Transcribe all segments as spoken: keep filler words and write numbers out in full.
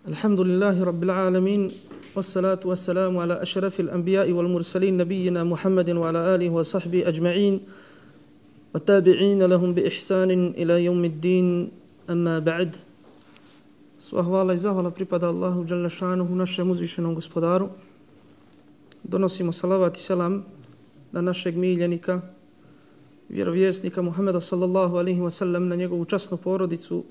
الحمد لله رب العالمين والصلاة والسلام على أشرف الأنبياء والمرسلين نبينا محمد وعلى آله وصحبه أجمعين والتابعين لهم بإحسان إلى يوم الدين أما بعد. Sva hvala i zahvala pripada Allahu dželle šanuhu, našem uzvišenom gospodaru. Donosimo salavat i selam na našeg miljenika, vjerovjesnika Muhameda sallallahu alaihi wa sallam, na njegovu časnu porodicu,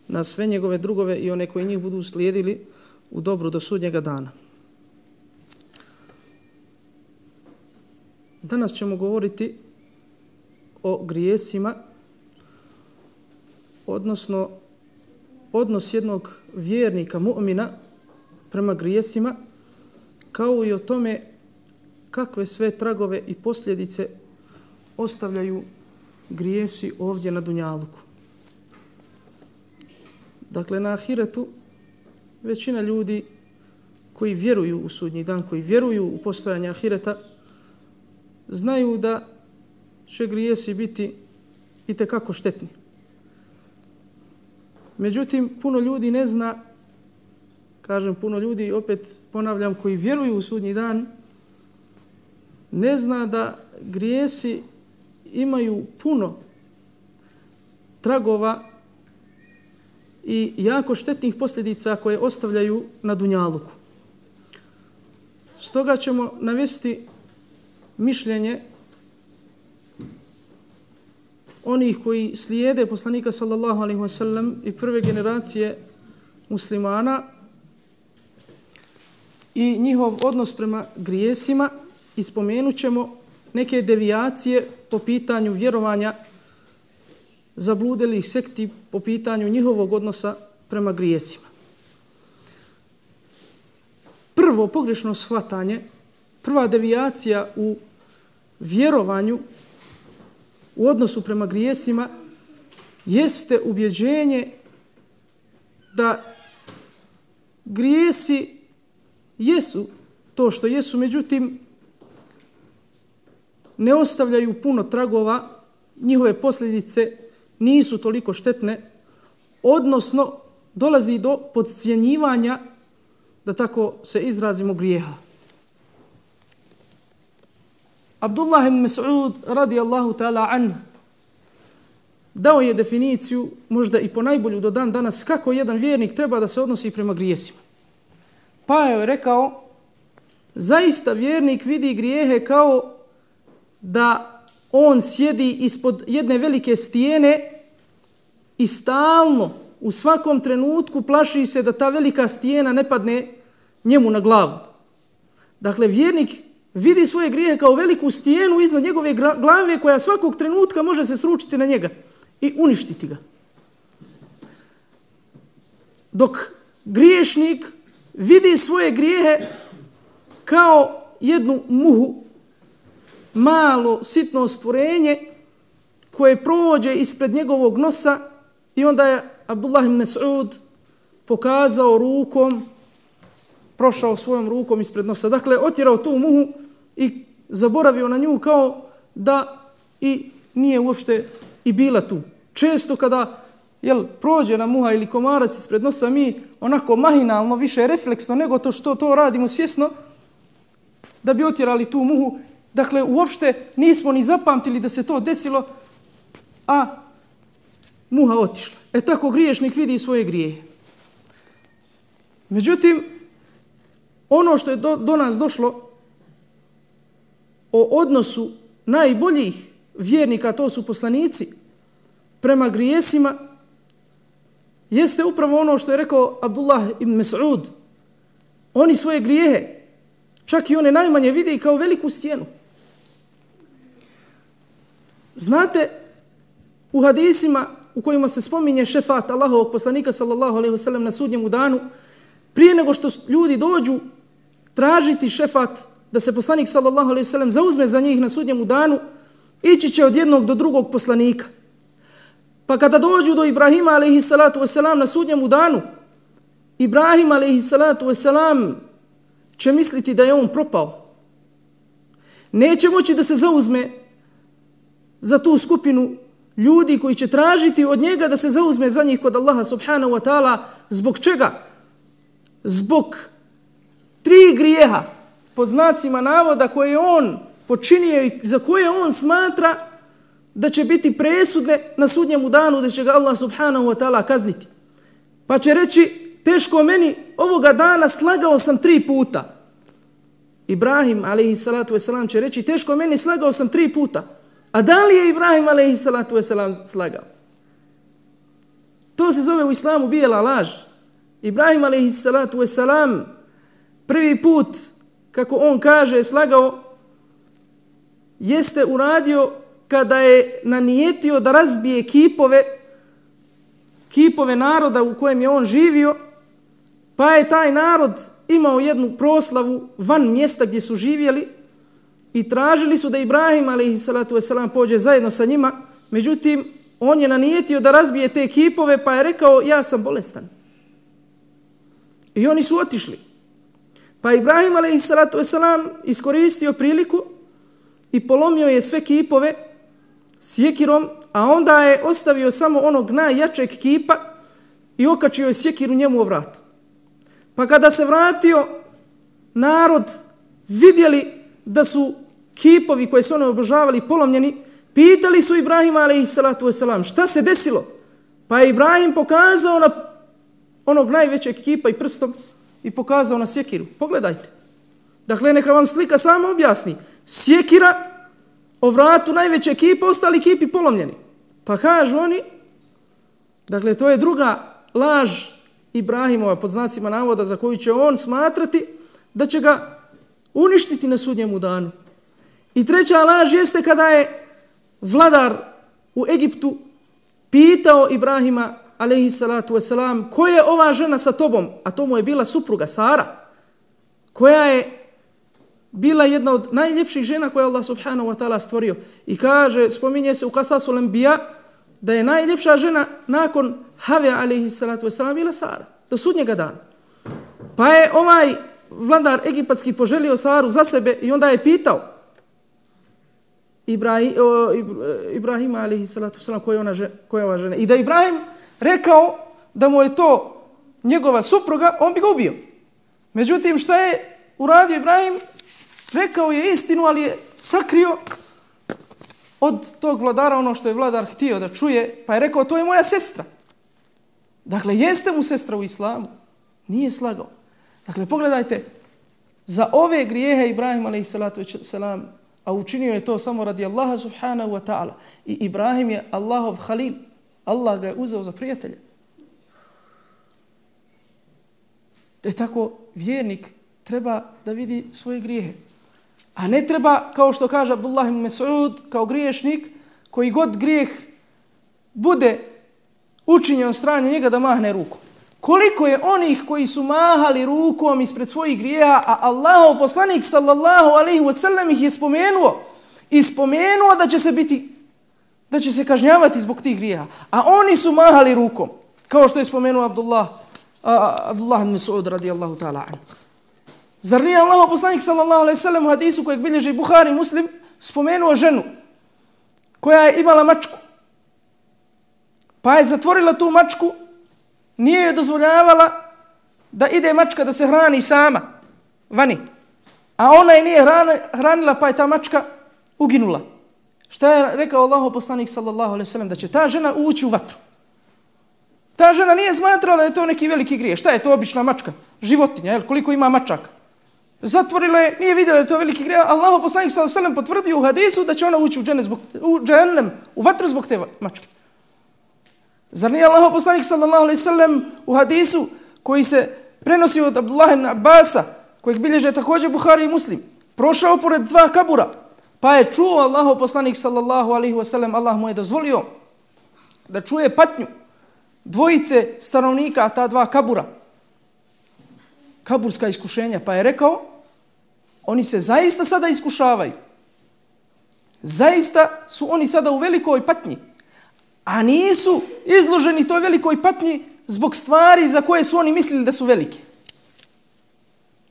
na sve njegove drugove i one koji njih budu slijedili u dobru do sudnjega dana. Danas ćemo govoriti o grijesima, odnosno odnos jednog vjernika, mu'mina, prema grijesima, kao i o tome kakve sve tragove i posljedice ostavljaju grijesi ovdje na dunjaluku. Dakle, na ahiretu većina ljudi koji vjeruju u sudnji dan, koji vjeruju u postojanje ahireta, znaju da će grijesi biti itekako štetni. Međutim, puno ljudi ne zna, kažem puno ljudi, opet ponavljam, koji vjeruju u sudnji dan, ne zna da grijesi imaju puno tragova i jako štetnih posljedica koje ostavljaju na dunjaluku. Stoga ćemo navesti mišljenje onih koji slijede poslanika sallallahu alaihi wa sallam i prve generacije muslimana i njihov odnos prema grijesima, i spomenut ćemo neke devijacije po pitanju vjerovanja zabludelih sekti, po pitanju njihovog odnosa prema grijesima. Prvo pogrešno shvatanje, prva devijacija u vjerovanju u odnosu prema grijesima jeste ubjeđenje da grijesi jesu to što jesu, međutim ne ostavljaju puno tragova, njihove posljedice nisu toliko štetne, odnosno dolazi do podcjenjivanja, da tako se izrazimo, grijeha. Abdullah ibn Mas'ud radijallahu ta'ala anhu dao je definiciju, možda i po najbolju do dan danas, kako jedan vjernik treba da se odnosi prema grijesima. Pa je rekao, zaista vjernik vidi grijehe kao da on sjedi ispod jedne velike stijene i stalno, u svakom trenutku plaši se da ta velika stijena ne padne njemu na glavu. Dakle, vjernik vidi svoje grijehe kao veliku stijenu iznad njegove glave koja svakog trenutka može se sručiti na njega i uništiti ga. Dok griješnik vidi svoje grijehe kao jednu muhu, malo, sitno stvorenje koje prođe ispred njegovog nosa, i onda je Abdullah ibn Mas'ud pokazao rukom, prošao svojom rukom ispred nosa. Dakle, otjerao tu muhu i zaboravio na nju kao da i nije uopšte i bila tu. Često kada jel, prođe nam muha ili komarac ispred nosa, mi onako mahinalno, više refleksno nego to što to radimo svjesno, da bi otjerali tu muhu. Dakle, uopšte nismo ni zapamtili da se to desilo, a muha otišla. E tako griješnik vidi svoje grijehe. Međutim, ono što je do, do nas došlo o odnosu najboljih vjernika, to su poslanici, prema grijesima, jeste upravo ono što je rekao Abdullah ibn Mas'ud. Oni svoje grijehe, čak i one najmanje, vide kao veliku stijenu. Znate, u hadisima u kojima se spominje šefat Allahovog poslanika sallallahu alejhi ve sellem na sudnjem danu, prije nego što ljudi dođu tražiti šefat, da se poslanik sallallahu alejhi ve sellem zauzme za njih na sudnjem danu, ići će od jednog do drugog poslanika. Pa kada dođu do Ibrahima alejhi salatu vesselam na sudnjem danu, Ibrahim alejhi salatu vesselam će misliti da je on propao. Neće moći da se zauzme za tu skupinu ljudi koji će tražiti od njega da se zauzme za njih kod Allaha subhanahu wa ta'ala. Zbog čega? zbog tri grijeha, pod znacima navoda, koje je on počinio i za koje on smatra da će biti presudne na sudnjemu danu, da će ga Allah subhanahu wa ta'ala kazniti. Pa će reći, teško meni, ovoga dana slagao sam tri puta. Ibrahim alejhi salatu vesselam će reći, teško meni, slagao sam tri puta. A da li je Ibrahim alejhi salatu vesselam slagao? To se zove u islamu bijela laž. Ibrahim alejhi salatu vesselam prvi put, kako on kaže, slagao, jeste uradio kada je nanijetio da razbije kipove, kipove naroda u kojem je on živio, pa je taj narod imao jednu proslavu van mjesta gdje su živjeli i tražili su da Ibrahim alejhi salatu vesselam pođe zajedno sa njima. Međutim, on je nanijetio da razbije te kipove, pa je rekao, ja sam bolestan. I oni su otišli. Pa Ibrahim alejhi salatu vesselam iskoristio priliku i polomio je sve kipove sjekirom, a onda je ostavio samo onog najjačeg kipa i okačio je sjekiru njemu u vrat. Pa kada se vratio, narod vidjeli da su kipovi koje su oni obožavali polomljeni, pitali su Ibrahima alejhi salatu vesselam, šta se desilo? Pa je Ibrahim pokazao na onog najvećeg kipa i prstom i pokazao na sjekiru. Pogledajte. Dakle, neka vam slika samo objasni. Sjekira o vratu najvećeg kipa, ostali kipi polomljeni. Pa kažu oni, dakle, to je druga laž Ibrahimova, pod znacima navoda, za koju će on smatrati da će ga uništiti na sudnjemu danu. I treća laž jeste kada je vladar u Egiptu pitao Ibrahima alejhi salatu vesselam, ko je ova žena sa tobom? A to mu je bila supruga Sara, koja je bila jedna od najljepših žena koje Allah subhanahu wa ta'ala stvorio. I kaže, spominje se u Qasasul Anbiya da je najljepša žena nakon Have alejhi salatu vesselam bila Sara, do sudnjega dana. Pa je ovaj vladar egipatski poželio Saru za sebe i onda je pitao Ibrahim, o, Ibrahima alejhi salatu vesselam koja je ona žena, koja je ova žena. I da Ibrahim rekao da mu je to njegova supruga, on bi ga ubio. Međutim, šta je uradio Ibrahim? Rekao je istinu, ali je sakrio od tog vladara ono što je vladar htio da čuje, pa je rekao, to je moja sestra. Dakle, jeste mu sestra u islamu? Nije slagao. Dakle, pogledajte, za ove grijehe Ibrahim alejhi salatu vesselam, a učinio je to samo radi Allaha subhanahu wa ta'ala. I Ibrahim je Allahov halil. Allah ga je uzeo za prijatelja. Te tako vjernik treba da vidi svoje grijehe. A ne treba, kao što kaže Abdullah ibn Mas'ud, kao griješnik, koji god grijeh bude učinjen od strane njega da mahne rukom. Koliko je onih koji su mahali rukom ispred svojih grijeha, a Allahov poslanik sallallahu alejhi ve sellem ih je spomenuo i spomenuo da će se biti, da će se kažnjavati zbog tih grijeha. A oni su mahali rukom, kao što je spomenuo Abdullah, a, Abdullah ibn Mas'ud radijallahu ta'ala anhu. Zar nije Allahov poslanik sallallahu alejhi ve sellem u hadisu kojeg bilježi Buhari Muslim spomenuo ženu koja je imala mačku, pa je zatvorila tu mačku, nije joj dozvoljavala da ide mačka da se hrani sama vani, a ona je nije hranila, pa je ta mačka uginula. Šta je rekao Allahov poslanik sallallahu alejhi ve sellem? Da će ta žena ući u vatru. Ta žena nije smatrala da je to neki veliki grijeh. Šta je to, obična mačka? Životinja, jel? Koliko ima mačaka? Zatvorila je, nije vidjela da je to veliki grijeh. Allahov poslanik sallallahu alejhi ve sellem potvrdio u hadisu da će ona ući u džennet zbog u džennem, u vatru zbog te mačke. Zar nije Allahov poslanik sallallahu alejhi ve sellem u hadisu koji se prenosi od Abdullah ibn Abbasa, kojeg bilježe također Buhari i Muslim, prošao pored dva kabura, pa je čuo Allahov poslanik sallallahu alejhi ve sellem, Allah mu je dozvolio da čuje patnju dvojice stanovnika ta dva kabura, kaburska iskušenja, pa je rekao, oni se zaista sada iskušavaju. Zaista su oni sada u velikoj patnji, a nisu izloženi toj velikoj patnji zbog stvari za koje su oni mislili da su velike.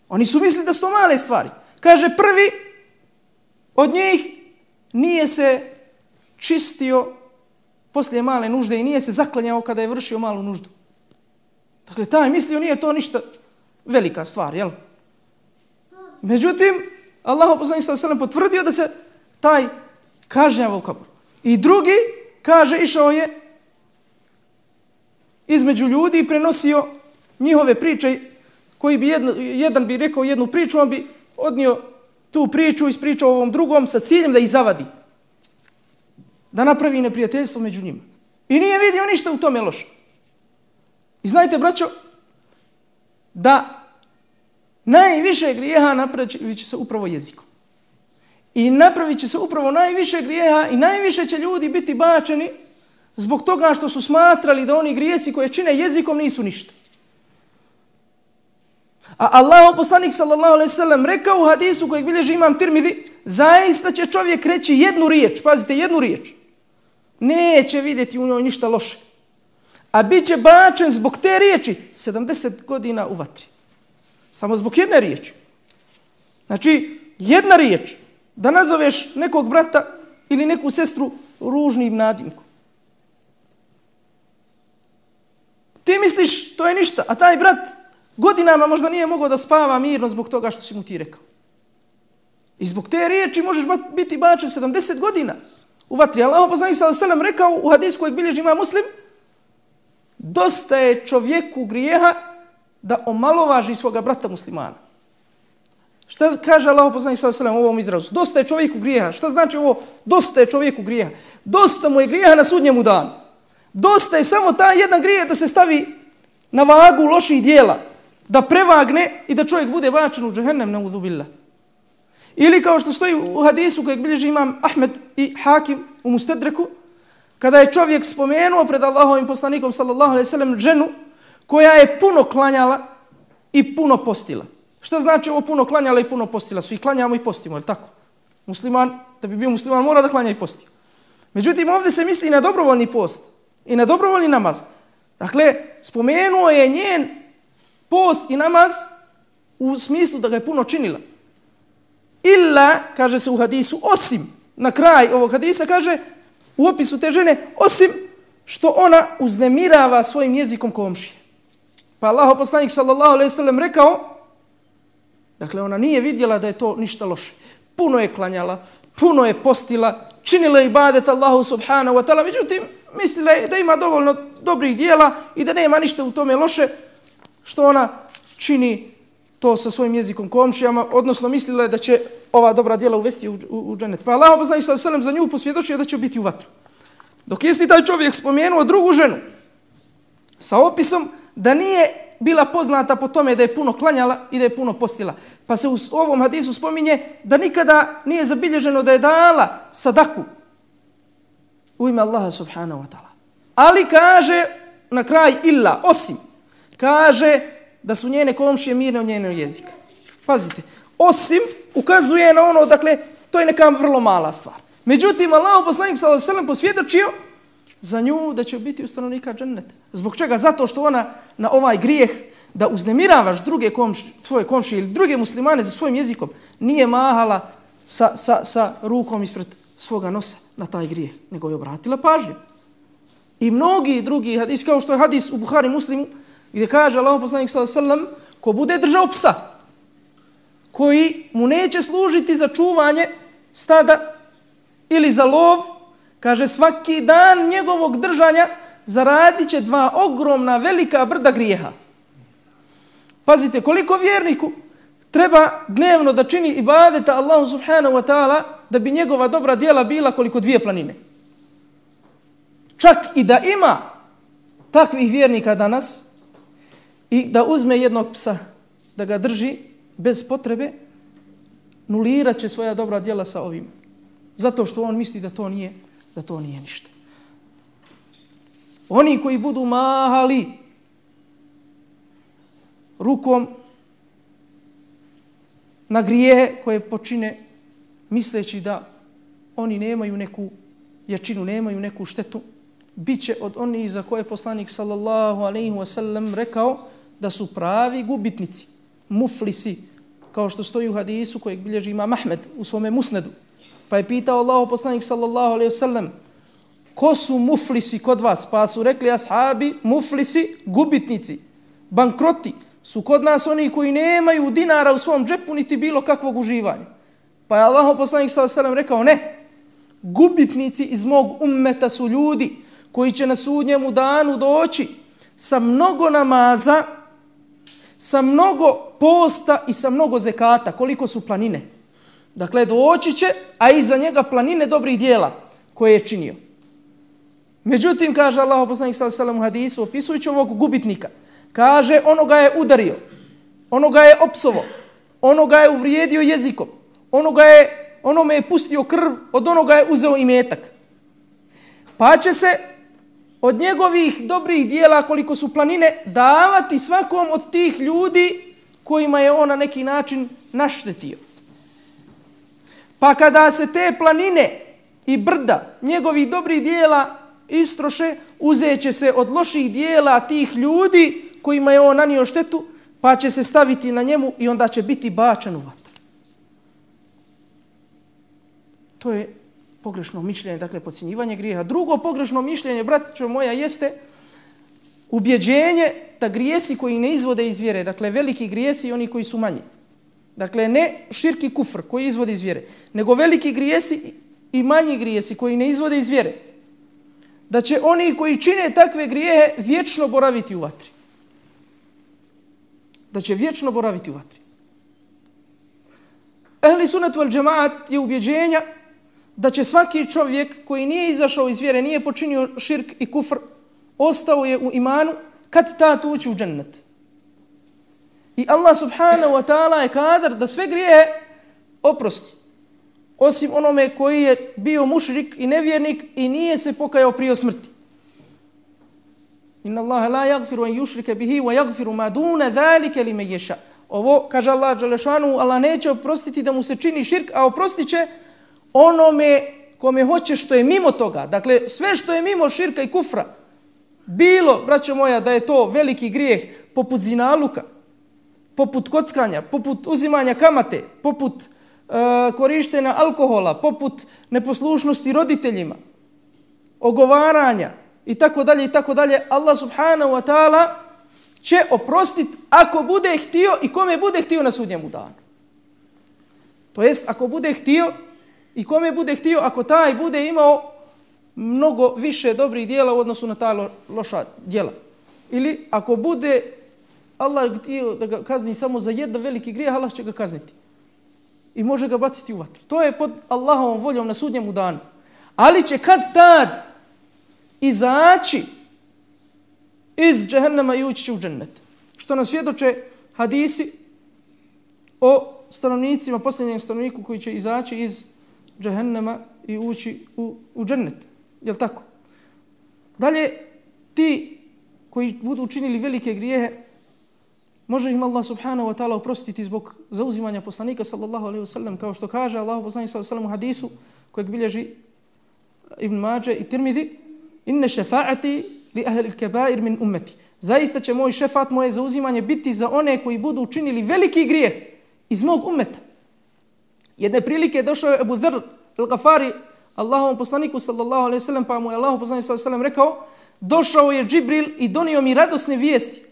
Oni su mislili da su to male stvari. Kaže, prvi od njih nije se čistio poslije male nužde i nije se zaklanjao kada je vršio malu nuždu. Dakle, taj mislio nije to ništa, velika stvar, jel? Međutim, Allah poslanik sallallahu alejhi ve sellem potvrdio da se taj kažnjava u kaburu. I drugi, kaže, išao je između ljudi i prenosio njihove priče, koji bi jedno, jedan bi rekao jednu priču, on bi odnio tu priču, ispričao ovom drugom sa ciljem da ih zavadi. Da napravi neprijateljstvo među njima. I nije vidio ništa u tome loše. I znajte, braćo, da najviše grijeha napravit će se upravo jezikom. I napravit će se upravo najviše grijeha i najviše će ljudi biti bačeni zbog toga što su smatrali da oni grijesi koje čine jezikom nisu ništa. A Allahov poslanik sallallahu alejhi ve sellem rekao u hadisu kojeg bilježi imam Tirmidhi, zaista će čovjek reći jednu riječ, pazite, jednu riječ. Neće vidjeti u njoj ništa loše. A bit će bačen zbog te riječi sedamdeset godina u vatri. Samo zbog jedne riječi. Znači, jedna riječ. Da nazoveš nekog brata ili neku sestru ružnim nadimkom. Ti misliš, to je ništa, a taj brat godinama možda nije mogao da spava mirno zbog toga što si mu ti rekao. I zbog te riječi možeš biti bačen sedamdeset godina u vatri. Allah poslanik sallallahu alejhi ve sellem rekao u hadisu kojeg bilježi ima Muslim, dosta je čovjeku grijeha da omalovaži svoga brata muslimana. Šta kaže Allah poslanik sallallahu alejhi ve sellem u ovom izrazu? Dosta je čovjeku grijeha. Šta znači ovo? Dosta je čovjeku grijeha. Dosta mu je grijeha na sudnjemu danu. Dosta je samo taj jedan grijeh da se stavi na vagu loših dijela, da prevagne i da čovjek bude bačen u džehennem, naudhu billah. Ili kao što stoji u hadisu kojeg bilježi imam Ahmed i Hakim u Mustedreku, kada je čovjek spomenuo pred Allahovim poslanikom sallallahu alejhi ve sellem ženu koja je puno klanjala i puno postila. Šta znači ovo puno klanjala i puno postila? Svi klanjamo i postimo, je li tako? Musliman, da bi bio musliman, mora da klanja i posti. Međutim, ovdje se misli na dobrovoljni post i na dobrovoljni namaz. Dakle, spomenuo je njen post i namaz u smislu da ga je puno činila. Illa, kaže se u hadisu, osim, na kraj ovog hadisa kaže, u opisu te žene, osim što ona uznemirava svojim jezikom komšije. Pa Allah poslanik sallallahu alejhi ve sellem rekao, dakle ona nije vidjela da je to ništa loše. Puno je klanjala, puno je postila, činila ibadet Allahu subhanahu wa ta'ala, međutim mislila je da ima dovoljno dobrih dijela i da nema ništa u tome loše što ona čini to sa svojim jezikom komšijama, odnosno mislila je da će ova dobra djela uvesti u, u, u džennet. Pa Allah poslanik sallallahu alejhi ve sellem za nju posvjedočio da će biti u vatru. Dok isti taj čovjek spomenuo drugu ženu sa opisom da nije bila poznata po tome da je puno klanjala i da je puno postila. Pa se u ovom hadisu spominje da nikada nije zabilježeno da je dala sadaku u ime Allaha subhanahu wa ta'ala. Ali kaže na kraj illa, osim, kaže da su njene komšije mirne od njenog jezika. Pazite, osim ukazuje na ono, dakle, to je neka vrlo mala stvar. Međutim, Allah poslanik sallallahu alejhi ve sellem posvjedočio za nju da će biti ustanovnika dženneta. Zbog čega? Zato što ona na ovaj grijeh da uznemiravaš druge komš, svoje komšije ili druge muslimane za svojim jezikom nije mahala sa, sa, sa rukom ispred svoga nosa na taj grijeh, nego je obratila pažnju. I mnogi drugi hadis, kao što je hadis u Buhari Muslimu, gdje kaže Allah poslanik sallallahu alejhi ve sellem, ko bude držao psa, koji mu neće služiti za čuvanje stada ili za lov, kaže svaki dan njegovog držanja zaradit će dva ogromna velika brda grijeha. Pazite, koliko vjerniku treba dnevno da čini ibadeta Allahu subhanahu wa ta'ala da bi njegova dobra djela bila koliko dvije planine. Čak i da ima takvih vjernika danas i da uzme jednog psa da ga drži bez potrebe, nulirat će svoja dobra djela sa ovim. Zato što on misli da to nije, da to nije ništa. Oni koji budu mahali rukom na grijehe koje počine misleći da oni nemaju neku jačinu, nemaju neku štetu, bit će od onih za koje poslanik sallallahu alejhi ve sellem rekao da su pravi gubitnici, muflisi, kao što stoji u hadisu kojeg bilježi imam Ahmed u svome musnedu. Pa je pitao Allahu poslanik sallallahu alejhi ve sellem, ko su muflisi kod vas? Pa su rekli ashabi, muflisi, gubitnici, bankroti su kod nas oni koji nemaju dinara u svom džepu niti bilo kakvog uživanja. Pa je Allahov poslanik sallallahu alejhi ve sellem rekao ne, gubitnici iz mog ummeta su ljudi koji će na sudnjemu danu doći sa mnogo namaza, sa mnogo posta i sa mnogo zekata, koliko su planine. Dakle, doći će, a iza njega planine dobrih dijela koje je činio. Međutim, kaže Allahov poslanik sallallahu alejhi ve sellem u hadisu, opisujući ovog gubitnika, kaže, onoga je udario, onoga je opsovo, onoga je uvrijedio jezikom, onoga je, onome je pustio krv, od onoga je uzeo imetak. Pa će se od njegovih dobrih dijela, koliko su planine, davati svakom od tih ljudi kojima je on na neki način naštetio. Pa kada se te planine i brda njegovih dobrih dijela istroše, uzet će se od loših dijela tih ljudi kojima je on nanio štetu, pa će se staviti na njemu i onda će biti bačen u vatru. To je pogrešno mišljenje, dakle podcjenjivanje grijeha. Drugo pogrešno mišljenje, braćo moja, jeste ubjeđenje da grijesi koji ne izvode iz vjere, dakle veliki grijesi i oni koji su manji. Dakle, ne širk i kufr koji izvode iz vjere, nego veliki grijesi i manji grijesi koji ne izvode iz vjere. Da će oni koji čine takve grijehe vječno boraviti u vatri. Da će vječno boraviti u vatri. Ehli sunnet wal džemaat je ubjeđenja da će svaki čovjek koji nije izašao iz vjere, nije počinio širk i kufr, ostao je u imanu, kad tad ući u džennet. I Allah subhanahu wa ta'ala je kadar da sve grijehe oprosti. Osim onome koji je bio mušrik i nevjernik i nije se pokajao prije smrti. Inna Allaha la yaghfiru an yushrika bihi wa yaghfiru ma duna zalika liman yasha. Ovo kaže Allah dželle šanu, Allah neće oprostiti da mu se čini širk, a oprostit će onome kome hoće što je mimo toga. Dakle, sve što je mimo širka i kufra, bilo, braćo moja, da je to veliki grijeh poput zinaluka, poput kockanja, poput uzimanja kamate, poput uh, korištenja alkohola, poput neposlušnosti roditeljima, ogovaranja i tako dalje i tako dalje, Allah subhanahu wa ta'ala će oprostiti ako bude htio i kome bude htio na sudnjemu danu. To jest, ako bude htio i kome bude htio, ako taj bude imao mnogo više dobrih dijela u odnosu na ta lo, loša dijela. Ili ako bude Allah htio da ga kazni samo za jedan veliki grijeh, Allah će ga kazniti. I može ga baciti u vatru. To je pod Allahovom voljom na sudnjemu danu. Ali će kad tad izaći iz džehennema i ući će u džennet. Što nam svjedoče hadisi o stanovnicima, posljednjem stanovniku koji će izaći iz džehennema i ući u, u džennet. Je li tako? Dalje, ti koji budu učinili velike grijehe, može im Allah subhanahu wa ta'ala oprostiti zbog zauzimanja poslanika sallallahu alaihi wa sallam, kao što kaže Allah poslanik sallallahu alaihi wa sallam u hadisu kojeg bilježi Ibn Mađe i Tirmidhi, inne šefaati li ahli kebair min ummeti. Zaista će moj šefat, moje zauzimanje biti za one koji budu učinili veliki grijeh iz mog ummeta. Jedne prilike došao je Abu Dharr al-Ghafari Allahovom poslaniku sallallahu alaihi wa sallam, pa mu je Allahov poslanik sallallahu alaihi wa sallam rekao, došao je Džibril i donio mi radosne vijesti.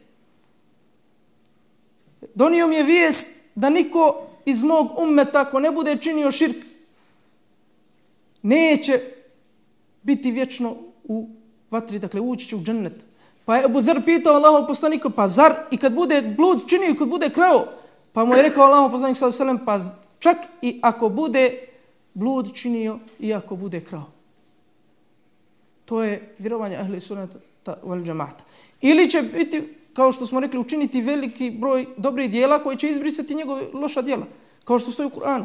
Donio mi je vijest da niko iz mog ummeta, ako ne bude činio širk, neće biti vječno u vatri, dakle ući će u džennet. Pa je Abu Dharr pitao Allahov poslanika, pa zar i kad bude blud činio i kad bude krao? Pa mu je rekao Allahov poslanik sallallahu alejhi ve sellem, pa čak i ako bude blud činio i ako bude krao. To je vjerovanje ahli sunnata wal džemaata. Ili će biti, kao što smo rekli, učiniti veliki broj dobrih dijela koji će izbrisati njegove loša dijela. Kao što stoji u Kur'anu.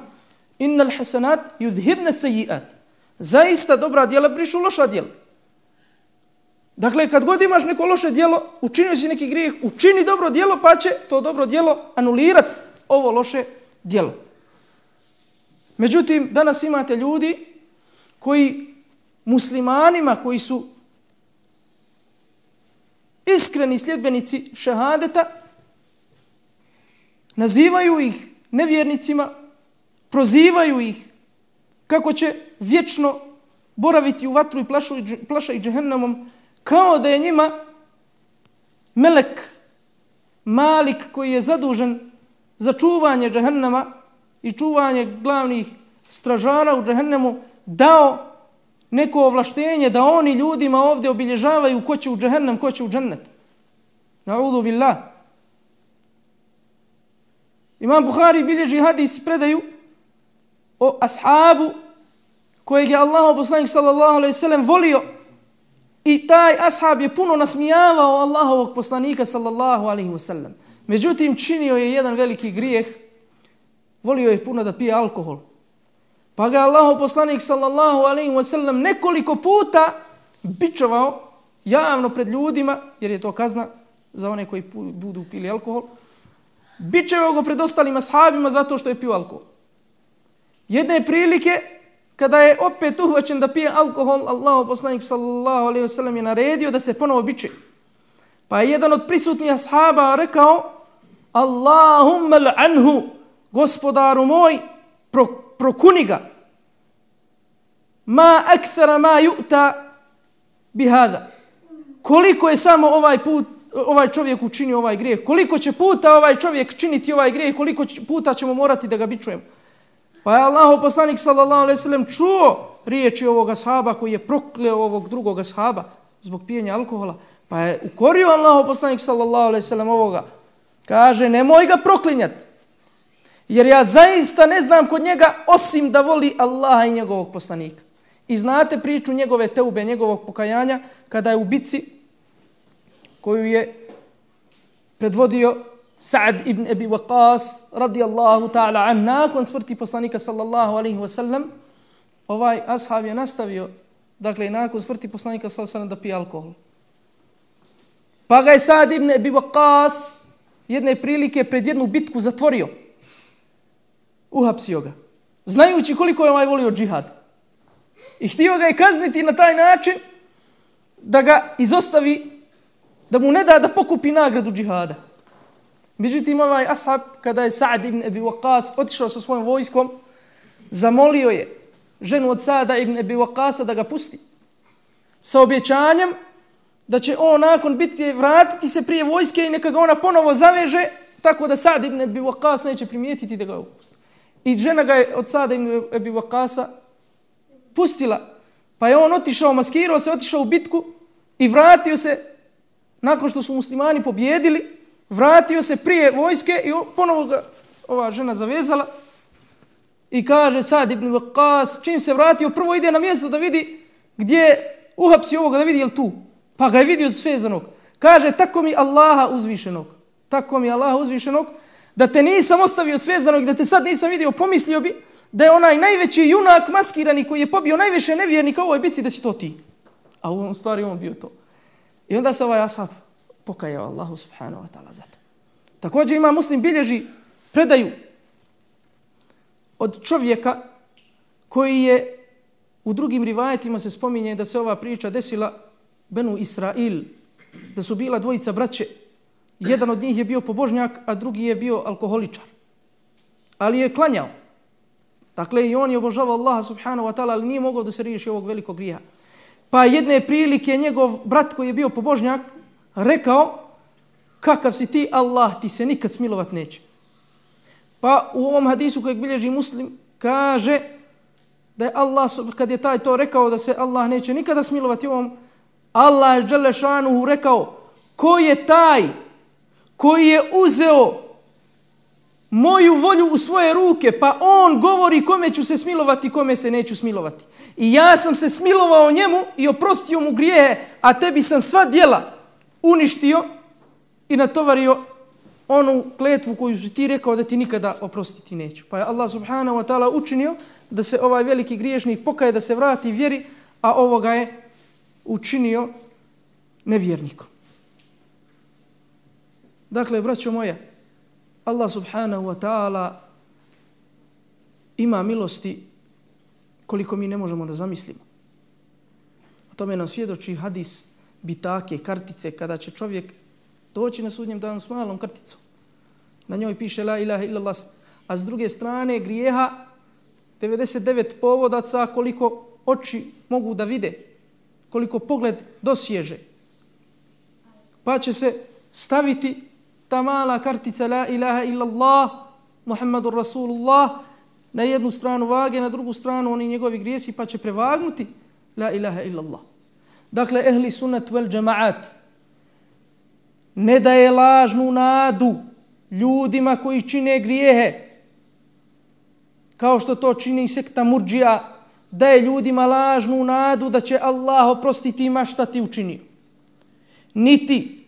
Innal hasanat yudhibna sayyi'at. Zaista dobra dijela brišu loša dijela. Dakle, kad god imaš neko loše dijelo, učinio si neki grijeh, učini dobro dijelo, pa će to dobro dijelo anulirati ovo loše dijelo. Međutim, danas imate ljudi koji muslimanima, koji su iskreni sljedbenici šehadeta, nazivaju ih nevjernicima, prozivaju ih kako će vječno boraviti u vatru i plašaju džehennemom, kao da je njima melek Malik koji je zadužen za čuvanje džehennema i čuvanje glavnih stražara u džehennemu dao neko ovlaštenje da oni ljudima ovdje obilježavaju ko će u džehennem, ko će u džennet. Na'udhu billah. Imam Buhari bilježi hadis predaju o ashabu kojeg je Allahov poslanik sallallahu alejhi ve sellem volio i taj ashab je puno nasmijavao Allahovog poslanika sallallahu alejhi ve sellem. Međutim, činio je jedan veliki grijeh, volio je puno da pije alkohol. Pa ga Allahov poslanik sallallahu alejhi ve sellem nekoliko puta bičovao javno pred ljudima, jer je to kazna za one koji budu pili alkohol. Bičevao ga pred ostalim ashabima zato što je pio alkohol. Jedne prilike, kada je opet uhvaćen da pije alkohol, Allahov poslanik sallallahu alejhi ve sellem je naredio da se ponovo biče. Pa je jedan od prisutnih ashaba rekao: Allahumma l'anhu, gospodaru moj, pro, prokuni ga. Ma akthara ma yu'ta bihada. Koliko je samo ovaj put ovaj čovjek učinio ovaj grijeh, koliko će puta ovaj čovjek činiti ovaj grijeh, koliko puta ćemo morati da ga bičujemo. Pa je Allahov poslanik sallallahu alejhi ve sellem čuo riječi ovog ashaba koji je prokleo ovog drugog ashaba zbog pijenja alkohola. Pa je ukorio Allahov poslanik sallallahu alejhi ve sellem ovoga. Kaže: nemoj ga proklinjati, jer ja zaista ne znam kod njega osim da voli Allaha i njegovog poslanika. I znate priču njegove teube, njegovog pokajanja, kada je u bici koju je predvodio Sa'd ibn Abi Waqqas radijallahu ta'ala an, nakon smrti poslanika sallallahu alejhi ve sellem, ovaj ashab je nastavio, dakle nakon smrti poslanika sallallahu alejhi ve sellem, da pije alkohol. Pa ga je Sa'd ibn Abi Waqqas jedne prilike pred jednu bitku zatvorio. Uhapsio ga, znajući koliko je ovaj volio džihad. I htio ga je kazniti na taj način da ga izostavi, da mu ne da da pokupi nagradu džihada. Međutim, ovaj ashab, kada je Sa'd ibn Abi Waqqas otišao sa svojom vojskom, zamolio je ženu od Sa'da ibn Abi Waqqasa da ga pusti, sa objećanjem da će on nakon bitke vratiti se prije vojske i neka ga ona ponovo zaveže, tako da Sa'd ibn Abi Waqqas neće primijetiti da ga opusti. I žena ga je od Sa'da ibn Abi Waqqasa pustila, pa je on otišao, maskirao se, otišao u bitku i vratio se, nakon što su muslimani pobjedili, vratio se prije vojske i ponovo ga ova žena zavezala i kaže Sa'd ibn Waqqas, čim se vratio, prvo ide na mjesto da vidi gdje uhapsi ovoga, da vidi je li tu. Pa ga je vidio svezanog. Kaže: tako mi Allaha uzvišenog, tako mi Allaha uzvišenog, da te nisam ostavio svezanog, da te sad nisam vidio, pomislio bi da je onaj najveći junak maskirani koji je pobio najviše nevjernika u ovoj bitci, da si to ti. A u stvari on bio to. I onda se ovaj ashab pokajao Allahu subhanahu wa ta'ala za to. Također ima Muslim bilježi predaju od čovjeka koji je, u drugim rivajetima se spominje da se ova priča desila Benu Israil, da su bila dvojica braće. Jedan od njih je bio pobožnjak, a drugi je bio alkoholičar. Ali je klanjao. Dakle, i on je obožavao Allaha subhanahu wa ta'ala, ali nije mogao da se riješi ovog velikog grijeha. Pa jedne prilike njegov brat koji je bio pobožnjak rekao: kakav si ti, Allah ti se nikad smilovat neće. Pa u ovom hadisu kojeg bilježi Muslim kaže da je Allah, kad je taj to rekao da se Allah neće nikada smilovati ovom, Allah je dželle šanuhu rekao: ko je taj koji je uzeo moju volju u svoje ruke, pa on govori kome ću se smilovati, kome se neću smilovati. I ja sam se smilovao njemu i oprostio mu grijehe, a tebi sam sva djela uništio i natovario onu kletvu koju si ti rekao da ti nikada oprostiti neću. Pa je Allah subhanahu wa ta'ala učinio da se ovaj veliki griješnik pokaje, da se vrati vjeri, a ovoga je učinio nevjernikom. Dakle, braćo moja, Allah subhanahu wa ta'ala ima milosti koliko mi ne možemo da zamislimo. O tome nam svjedoči hadis bitake, kartice, kada će čovjek doći na sudnjem danu s malom karticom. Na njoj piše la ilaha illallah, a s druge strane grijeha devedeset devet povodaca koliko oči mogu da vide, koliko pogled dosježe. Pa će se staviti ta mala kartica la ilaha illallah, Muhammadur Rasulullah, na jednu stranu vage, na drugu stranu oni njegovi grijesi, pa će prevagnuti la ilaha illallah. Dakle, ehli sunnet vel džemaat ne daje lažnu nadu ljudima koji čine grijehe, kao što to čini sekta murdžija, daje ljudima lažnu nadu da će Allah oprostiti ima šta ti učinio. Niti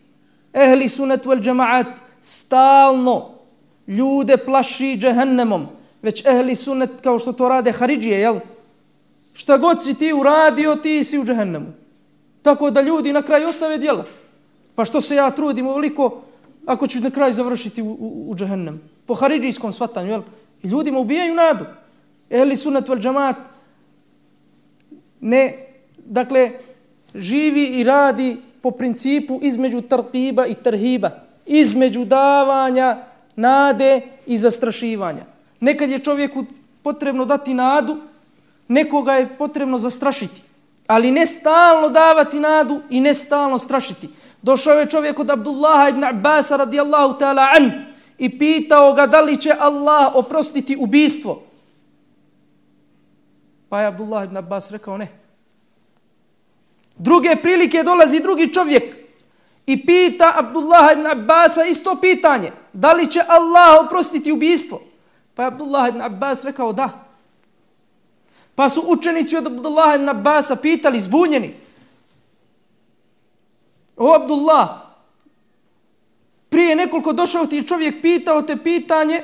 ehli sunnet vel džemaat stalno ljude plaši džehennemom, već ehli sunnet kao što to rade haridžije, jel? Šta god si ti uradio, ti si u džehennemu. Tako da ljudi na kraju ostave djela. Pa što se ja trudim ovoliko ako ću na kraju završiti u, u, u džehennem? Po haridžijskom shvatanju, jel? I ljudima ubijaju nadu. Ehli sunnet vel džemaat ne, dakle, živi i radi po principu između tarqiba i tarhiba, između davanja nade i zastrašivanja. Nekad je čovjeku potrebno dati nadu, nekoga je potrebno zastrašiti, ali ne stalno davati nadu i ne stalno strašiti. Došao je čovjek od Abdullaha ibn Abbasa radijallahu ta'ala an i pitao ga da li će Allah oprostiti ubijstvo. Pa je Abdullah ibn Abbas rekao ne. Druge prilike dolazi drugi čovjek i pita Abdullah ibn Abbasa isto pitanje. Da li će Allah oprostiti ubijstvo? Pa je Abdullah ibn Abbas rekao da. Pa su učenici od Abdullah ibn Abbasa pitali, zbunjeni. O Abdullah, prije nekoliko došao ti čovjek, pitao te pitanje,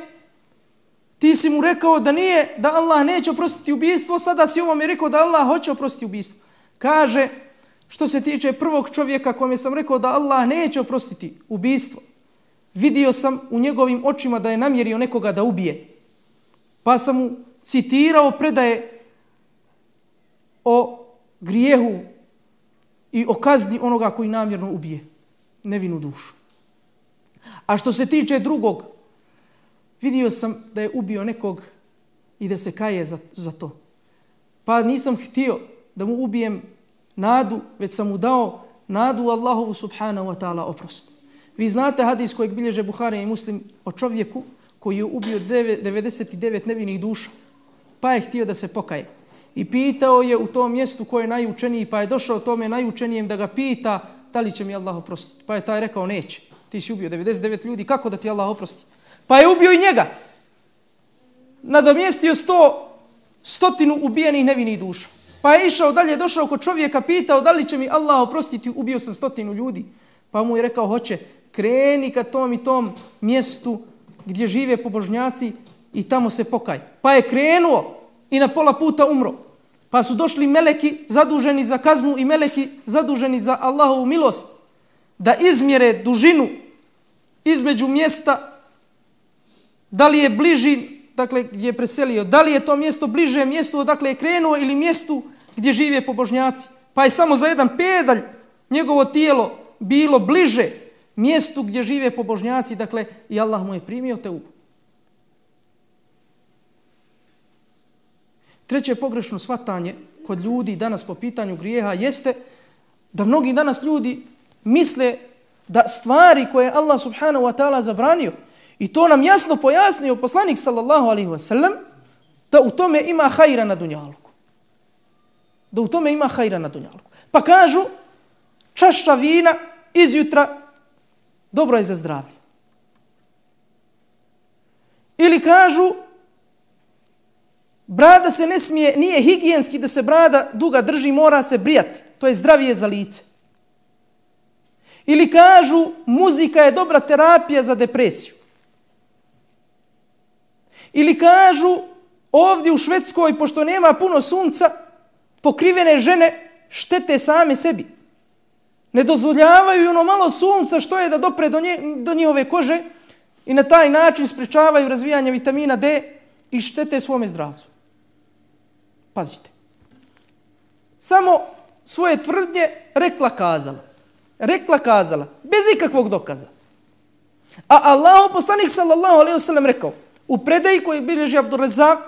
ti si mu rekao da nije, da Allah neće oprostiti ubijstvo, sada si ovom je rekao da Allah hoće oprostiti ubijstvo. Kaže, što se tiče prvog čovjeka kome sam rekao da Allah neće oprostiti ubijstvo, vidio sam u njegovim očima da je namjerio nekoga da ubije. Pa sam mu citirao predaje o grijehu i o kazni onoga koji namjerno ubije nevinu dušu. A što se tiče drugog, vidio sam da je ubio nekog i da se kaje za, za to. Pa nisam htio da mu ubijem nadu, već sam mu dao nadu Allahovu subhanahu wa ta'ala oprost. Vi znate hadis kojeg bilježe Buhari i Muslim o čovjeku koji je ubio devedeset devet nevinih duša, pa je htio da se pokaje. I pitao je u tom mjestu ko je najučeniji, pa je došao tome najučenijem da ga pita da li će mi Allah oprostiti. Pa je taj rekao neće. Ti si ubio devedeset devet ljudi, kako da ti Allah oprosti? Pa je ubio i njega. Nadomjestio sto, stotinu ubijenih nevinih duša. Pa je išao dalje, došao kod čovjeka, pitao da li će mi Allah oprostiti, ubio sam stotinu ljudi. Pa mu je rekao hoće, kreni ka tom i tom mjestu gdje žive pobožnjaci i tamo se pokaj. Pa je krenuo i na pola puta umro. Pa su došli meleki zaduženi za kaznu i meleki zaduženi za Allahovu milost da izmjere dužinu između mjesta, da li je bliži, dakle gdje je preselio, da li je to mjesto bliže mjestu odakle je krenuo ili mjestu gdje žive pobožnjaci. Pa je samo za jedan pedalj njegovo tijelo bilo bliže mjestu gdje žive pobožnjaci, dakle i Allah mu je primio teubu. Treće pogrešno shvatanje kod ljudi danas po pitanju grijeha jeste da mnogi danas ljudi misle da stvari koje Allah subhanahu wa ta'ala zabranio, i to nam jasno pojasnio poslanik sallallahu alaihi wa sallam, da u tome ima hajra na dunjaluku. Da u tome ima hajra na dunjaluku. Pa kažu, čaša vina izjutra dobro je za zdravlje. Ili kažu, brada se ne smije, nije higijenski da se brada duga drži, mora se brijati. To je zdravije za lice. Ili kažu, muzika je dobra terapija za depresiju. Ili kažu, ovdje u Švedskoj, pošto nema puno sunca, pokrivene žene štete same sebi. Ne dozvoljavaju ono malo sunca što je da dopre do, nje, do njihove kože i na taj način sprečavaju razvijanje vitamina D i štete svome zdravlju. Pazite. Samo svoje tvrdnje rekla kazala. Rekla kazala. Bez ikakvog dokaza. A Allahu poslanik sallallahu alejhi ve sellem rekao u predaji koji bilježi Abdurrazak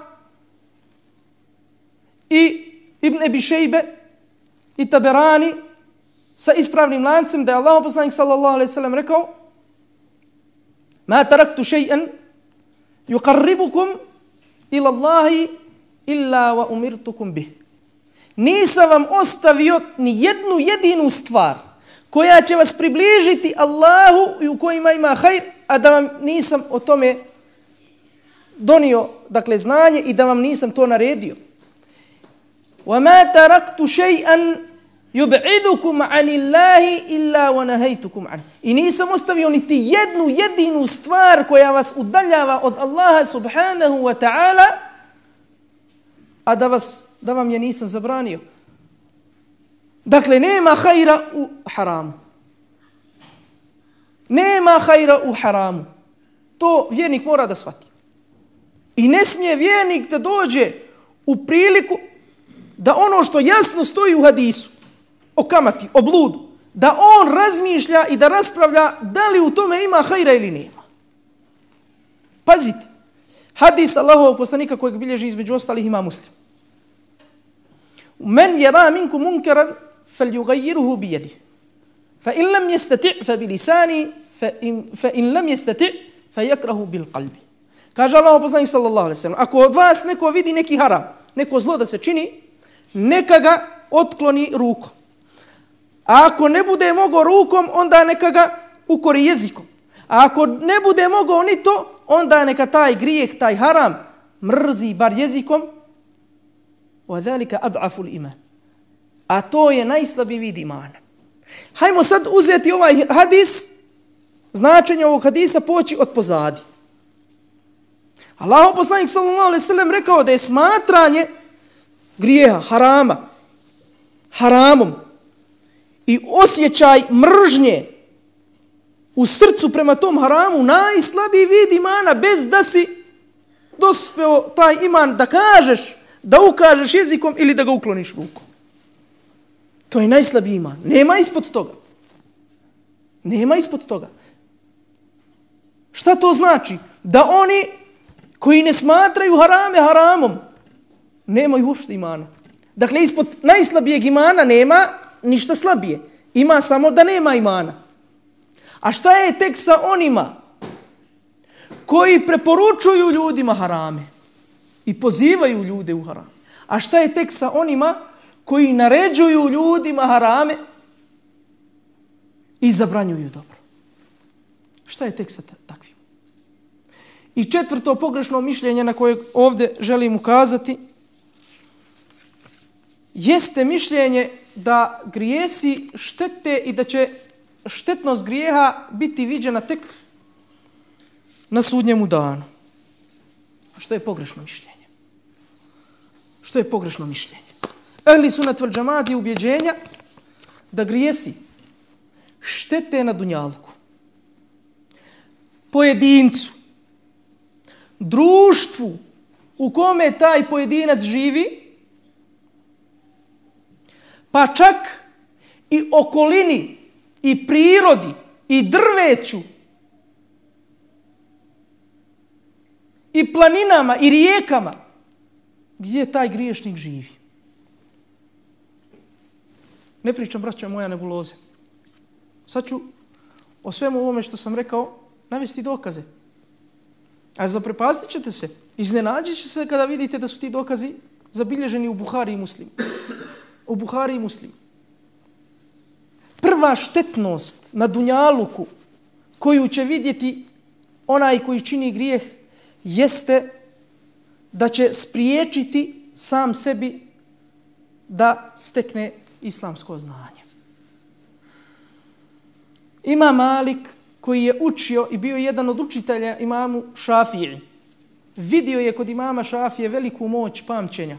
i Ibn Ebi Šejbe i Taberani sa ispravnim lancem da je Allahu poslanik sallallahu alejhi ve sellem rekao Ma taraktu shay'an yuqarribukum ila Allahi illa wa umirtukum bih. Nisam vam ostavio ni jednu jedinu stvar koja će vas približiti Allahu i u kojima ima hajr, a da vam nisam o tome donio, dakle, znanje i da vam nisam to naredio. وَمَا تَرَكْتُ شَيْئًا يُبْعِدُكُمْ عَنِ اللَّهِ إِلَّا وَنَهَيْتُكُمْ عَنْ. I nisam ostavio niti jednu jedinu stvar koja vas udaljava od Allaha subhanahu wa ta'ala, a da, vas, da vam je nisam zabranio. Dakle, nema hajra u haramu. Nema hajra u haramu. To vjernik mora da shvati. I ne smije vjernik da dođe u priliku da ono što jasno stoji u hadisu, o kamati, o bludu, da on razmišlja i da raspravlja da li u tome ima hajra ili nema. Pazite, hadis Allahovog poslanika kojeg bilježi između ostalih ima Muslim. Men yara minkum munkaran falyughayyirhu bi yadihi. Fa in lam yastati' fa bi lisani fa in fa in lam yastati' fa yakrahu bil qalbi. Kaže Allahov poslanik sallallahu alejhi ve sellem, ako od vas neko vidi neki haram, neko zlo da se čini, neka ga otkloni rukom. A ako ne bude mogao rukom, onda neka ga ukori jezikom. A ako ne bude mogao ni to, onda neka taj grijeh, taj haram mrzi bar jezikom. وَذَلِكَ أَضْعَفُ الْإِمَانِ. A to je najslabiji vid imana. Hajmo sad uzeti ovaj hadis, značenje ovog hadisa poći od pozadi. Allahov poslanik sallallahu alejhi ve sellem rekao da je smatranje grijeha, harama, haramom i osjećaj mržnje u srcu prema tom haramu najslabiji vid imana, bez da si dospeo taj iman da kažeš, da ukažeš jezikom ili da ga ukloniš rukom. To je najslabiji iman. Nema ispod toga. Nema ispod toga. Šta to znači? Da oni koji ne smatraju harame haramom nemaju uopšte imana. Dakle, ispod najslabijeg imana nema ništa slabije. Ima samo da nema imana. A šta je tek sa onima koji preporučuju ljudima harame i pozivaju ljude u haram? A šta je tek sa onima koji naređuju ljudima harame i zabranjuju dobro? Šta je tek sa takvim? I četvrto pogrešno mišljenje na koje ovdje želim ukazati jeste mišljenje da grijesi štete i da će štetnost grijeha biti viđena tek na sudnjemu danu. Što je pogrešno mišljenje? Što je pogrešno mišljenje? Ehli sunat vel džemaat je ubjeđenja da grijesi štete na dunjalku, pojedincu, društvu u kome taj pojedinac živi, pa čak i okolini, i prirodi, i drveću, i planinama, i rijekama, gdje taj griješnik živi. Ne pričam, braćo moja, nebuloze. Sad ću o svemu ovome što sam rekao navesti dokaze. A zaprepastit ćete se, iznenađit će se kada vidite da su ti dokazi zabilježeni u Buhari i Muslimu. U Buhari i Muslimu. Prva štetnost na dunjaluku koju će vidjeti onaj koji čini grijeh jeste da će spriječiti sam sebi da stekne islamsko znanje. Imam Malik, koji je učio i bio jedan od učitelja imamu Šafiji, vidio je kod imama Šafije veliku moć pamćenja,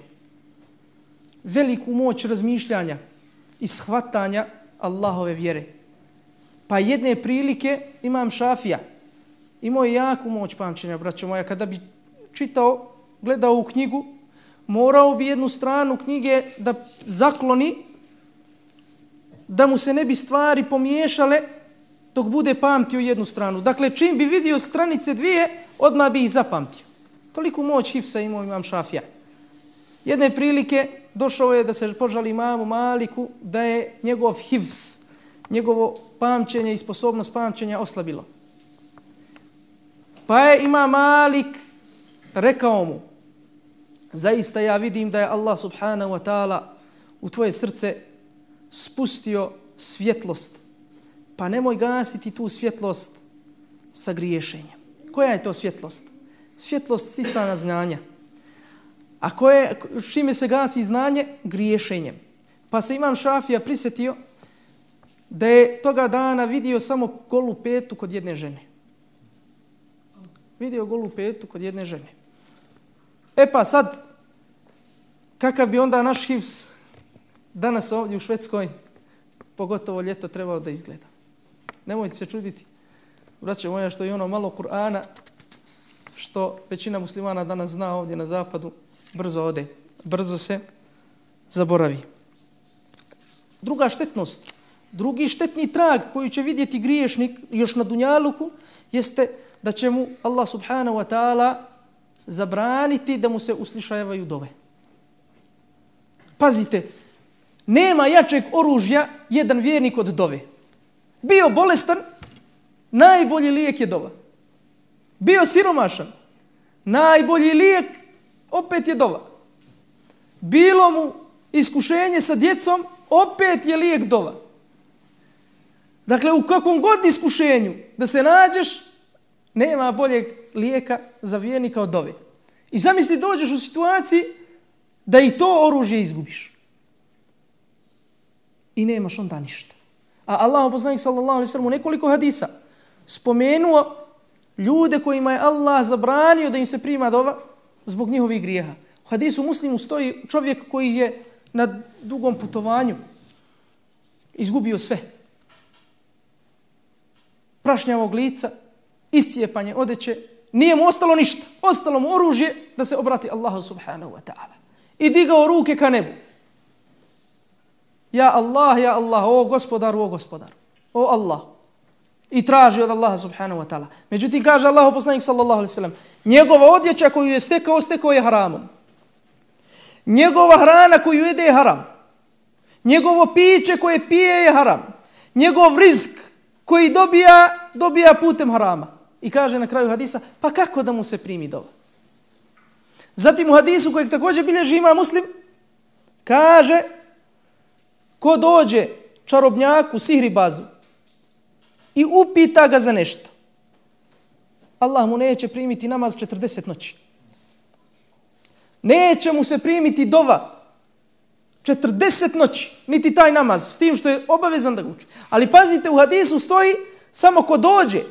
veliku moć razmišljanja i shvatanja Allahove vjere. Pa jedne prilike imam Šafija imao je jaku moć pamćenja, braćo moja. Kada bi čitao, gledao u knjigu, morao bi jednu stranu knjige da zakloni, da mu se ne bi stvari pomiješale dok bude pamtio jednu stranu. Dakle, čim bi vidio stranice dvije, odmah bi ih zapamtio. Toliko moć hifsa imao imam Šafija. Jedne prilike došao je da se požali imamu Maliku da je njegov hifz, njegovo pamćenje i sposobnost pamćenja oslabilo. Pa je Imam Malik rekao mu, zaista ja vidim da je Allah subhanahu wa ta'ala u tvoje srce spustio svjetlost. Pa nemoj gasiti tu svjetlost sa griješenjem. Koja je to svjetlost? Svjetlost sticanja znanja. A koje, čime se gasi znanje? Griješenjem. Pa se Imam Šafija prisjetio da je toga dana vidio samo golu petu kod jedne žene. Vidio golu petu kod jedne žene. E pa sad, kakav bi onda naš hifz danas ovdje u Švedskoj, pogotovo ljeto, trebao da izgleda. Nemojte se čuditi, braćo moja, što je ono malo Kur'ana, što većina muslimana danas zna ovdje na zapadu, brzo ode, brzo se zaboravi. Druga štetnost, drugi štetni trag koji će vidjeti griješnik još na dunjaluku, jeste da će mu Allah subhanahu wa ta'ala zabraniti da mu se uslišavaju dove. Pazite, nema jačeg oružja jedan vjernik od dove. Bio bolestan, najbolji lijek je dova. Bio siromašan, najbolji lijek opet je dova. Bilo mu iskušenje sa djecom, opet je lijek dova. Dakle, u kakvom god iskušenju da se nađeš, nema boljeg lijeka za vjernika od dove. I zamisli, dođeš u situaciji da i to oružje izgubiš. I nemaš onda ništa. A Allah, poslanik sallallahu alejhi ve sellem, u nekoliko hadisa spomenuo ljude kojima je Allah zabranio da im se prima dova zbog njihovih grijeha. U hadisu Muslimu stoji čovjek koji je na dugom putovanju izgubio sve. Prašnjavog lica, iscijepanje odeće, nije mu ostalo ništa. Ostalo mu oružje da se obrati Allahu subhanahu wa ta'ala. I digao ruke ka nebu. Ja Allah, ja Allah, o gospodaru, o gospodaru, o Allah. I traži od Allaha subhanahu wa ta'ala. Međutim, kaže Allahu poslanik sallallahu alejhi ve sellem, njegova odjeća koju je stekao, stekao je haramom. Njegova hrana koju jede je haram. Njegovo piće koje pije je haram. Njegov rizk koji dobija, dobija putem harama. I kaže na kraju hadisa, pa kako da mu se primi dova? Zatim u hadisu kojeg također bilježi Imam Muslim, kaže, ko dođe čarobnjaku, sihribazu i upita ga za nešto, Allah mu neće primiti namaz četrdeset noći. Neće mu se primiti dova četrdeset noći, niti taj namaz, s tim što je obavezan da ga uči. Ali pazite, u hadisu stoji, samo ko dođe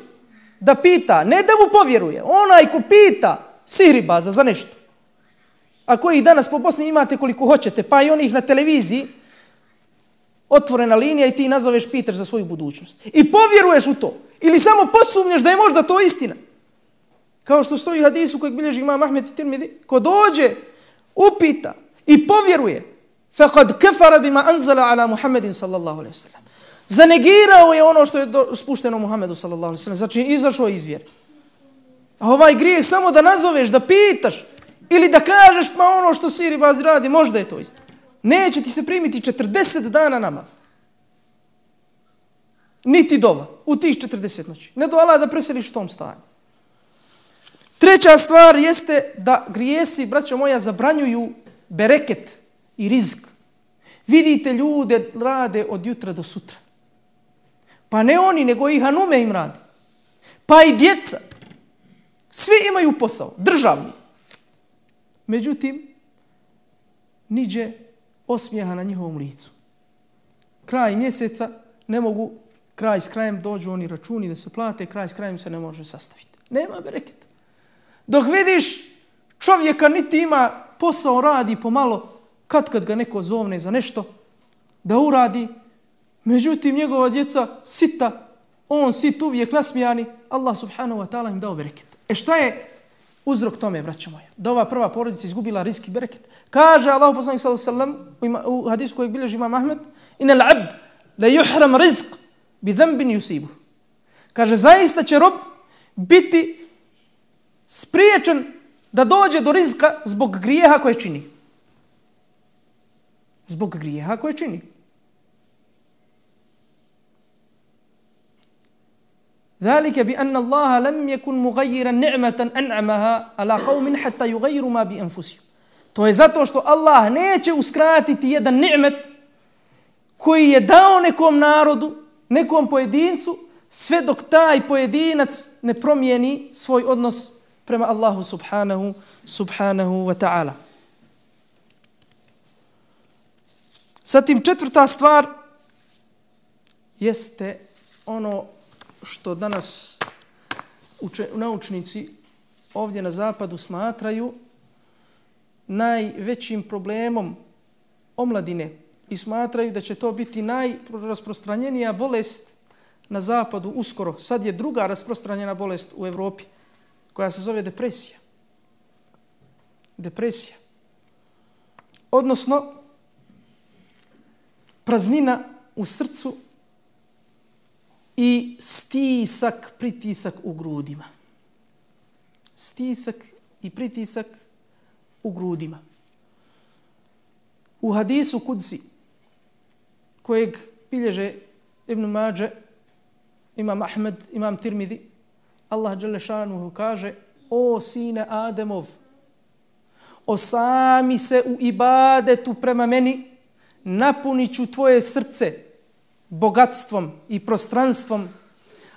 da pita, ne da mu povjeruje, onaj ko pita sihribaza za nešto, a koji danas po Bosni imate koliko hoćete, pa i onih na televiziji, otvorena linija i ti nazoveš, pitaš za svoju budućnost. I povjeruješ u to. Ili samo posumnješ da je možda to istina. Kao što stoji u hadisu kojeg bilježi Imam Ahmed i Tirmidhi, ko dođe, upita i povjeruje, faqad kafara bima anzala ala Muhammedin sallallahu alejhi ve sellem. Zanegirao je ono što je do, spušteno Muhammedu sallallahu alejhi ve sellem. Znači, izašao iz vjere. A ovaj grijeh samo da nazoveš, da pitaš ili da kažeš, pa ono što sihribazi radi, možda je to istina. Neće ti se primiti četrdeset dana namaz. Niti dova u tih četrdeset noći. Ne do Allah da preseliš u tom stanju. Treća stvar jeste da grijesi, braćo moja, zabranjuju bereket i rizk. Vidite, ljude rade od jutra do sutra. Pa ne oni, nego i hanume im rade. Pa i djeca. Svi imaju posao, državni. Međutim, niđe osmijeha na njihovom licu. Kraj mjeseca ne mogu, kraj s krajem dođu oni računi da se plate, kraj s krajem se ne može sastaviti. Nema bereketa. Dok vidiš čovjeka niti ima posao, radi pomalo, kad kad ga neko zovne za nešto, da uradi, međutim njegova djeca sita, on sit uvijek nasmijani, Allah subhanahu wa ta'ala im dao bereket. E šta je uzrok tome, braćo moja? Da ova prva porodica izgubila rizk i bereket. Kaže Allah poslanik sallallahu alejhi ve sellem u hadisu kojeg bilježi Imam Ahmed, inal abd la yuhram rizq bi dhanbin yusibu. Kaže, zaista će rob biti spriječen da dođe do rizka zbog grijeha koje čini. Zbog grijeha koje čini. ذلك بأن الله لم يكن مغيرا نعمة أنعمها على قوم حتى يغيروا ما بأنفسهم. To je zato što Allah neće uskratiti jedan ni'met koji je dao nekom narodu, nekom pojedincu, sve dok taj pojedinac ne promijeni svoj odnos prema Allahu subhanahu, subhanahu wa ta'ala. Zatim četvrta stvar jeste ono što danas uče, naučnici ovdje na zapadu smatraju najvećim problemom omladine i smatraju da će to biti najrasprostranjenija bolest na zapadu uskoro. Sad je druga rasprostranjena bolest u Evropi koja se zove depresija. Depresija. Odnosno praznina u srcu i stisak, pritisak u grudima. Stisak i pritisak u grudima. U hadisu Kudsi, kojeg bilježe Ibn Mađe, Imam Ahmed, Imam Tirmidhi, Allah dželle šanuhu kaže: o sine Ademov, osami se u ibadetu prema meni, napunit ću tvoje srce bogatstvom i prostranstvom,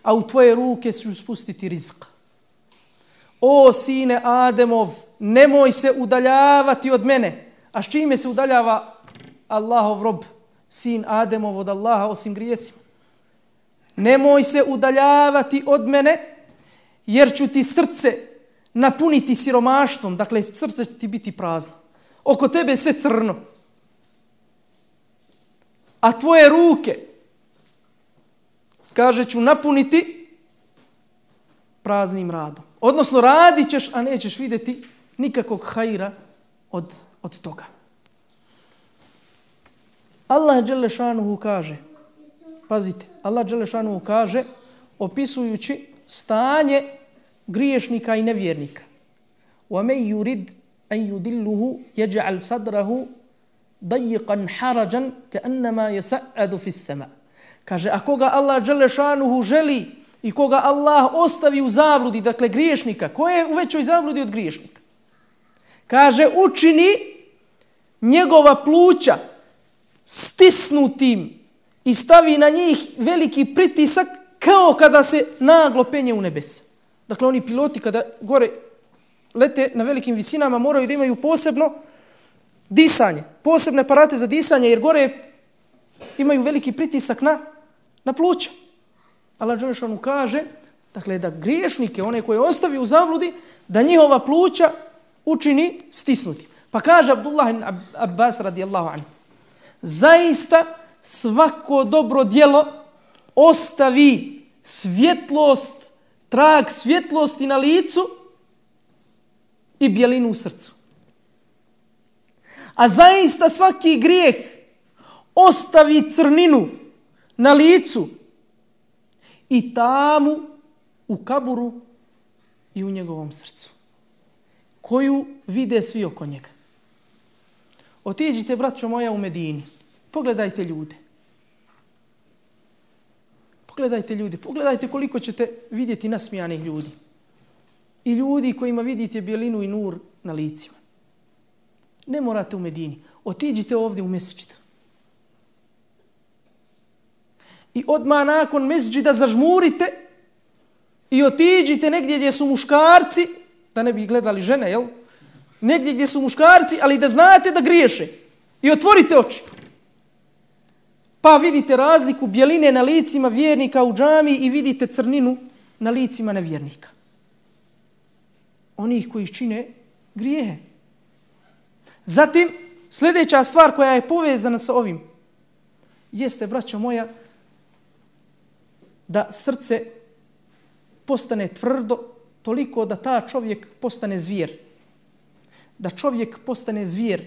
a u tvoje ruke ću spustiti rizq. O sine Ademov, nemoj se udaljavati od mene. A s čime se udaljava Allahov rob, sin Ademov, od Allaha, osim grijesima? Nemoj se udaljavati od mene, jer ću ti srce napuniti siromaštvom. Dakle, srce će ti biti prazno. Oko tebe je sve crno. A tvoje ruke, kaže, ću napuniti praznim radom. Odnosno, radit ćeš, a nećeš vidjeti nikakvog hajra od, od toga. Allah dželle šanuhu kaže, pazite, Allah dželle šanuhu kaže, opisujući stanje griješnika i nevjernika: وَمَنْ يُرِدْ أَنْ يُدِلُّهُ يَجْعَلْ صَدْرَهُ ضَيِّقًا حَرَجًا كَأَنَّمَا يَسَعَّدُ فِي السَّمَاءِ. Kaže, a koga Allah dželle šanuhu želi i koga Allah ostavi u zabludi, dakle griješnika, ko je u većoj zabludi od griješnika? Kaže, učini njegova pluća stisnutim i stavi na njih veliki pritisak kao kada se naglo penje u nebesa. Dakle, oni piloti kada gore lete na velikim visinama moraju da imaju posebno disanje, posebne aparate za disanje, jer gore imaju veliki pritisak na, na pluća. Allah dželle šanuhu kaže, dakle, da griješnike, one koje ostavi u zabludi, da njihova pluća učini stisnuti. Pa kaže Abdullah ibn Abbas radijallahu anhu: zaista svako dobro djelo ostavi svjetlost, trag svjetlosti na licu i bjelinu u srcu. A zaista svaki grijeh ostavi crninu na licu i tamu u kaburu i u njegovom srcu, koju vide svi oko njega. Otiđite, braćo moja, u Medini. Pogledajte ljude. Pogledajte ljude. Pogledajte koliko ćete vidjeti nasmijanih ljudi. I ljudi kojima vidite bjelinu i nur na licima. Ne morate u Medini. Otiđite ovdje u mesdžid. I odmah nakon mesdžida zažmurite i otiđite negdje gdje su muškarci, da ne bi gledali žene, jel? Negdje gdje su muškarci, ali da znate da griješe. I otvorite oči. Pa vidite razliku bjeline na licima vjernika u džami i vidite crninu na licima nevjernika. Onih koji čine grijehe. Zatim, sljedeća stvar koja je povezana sa ovim jeste, braćo moja, da srce postane tvrdo toliko da ta čovjek postane zvijer. Da čovjek postane zvijer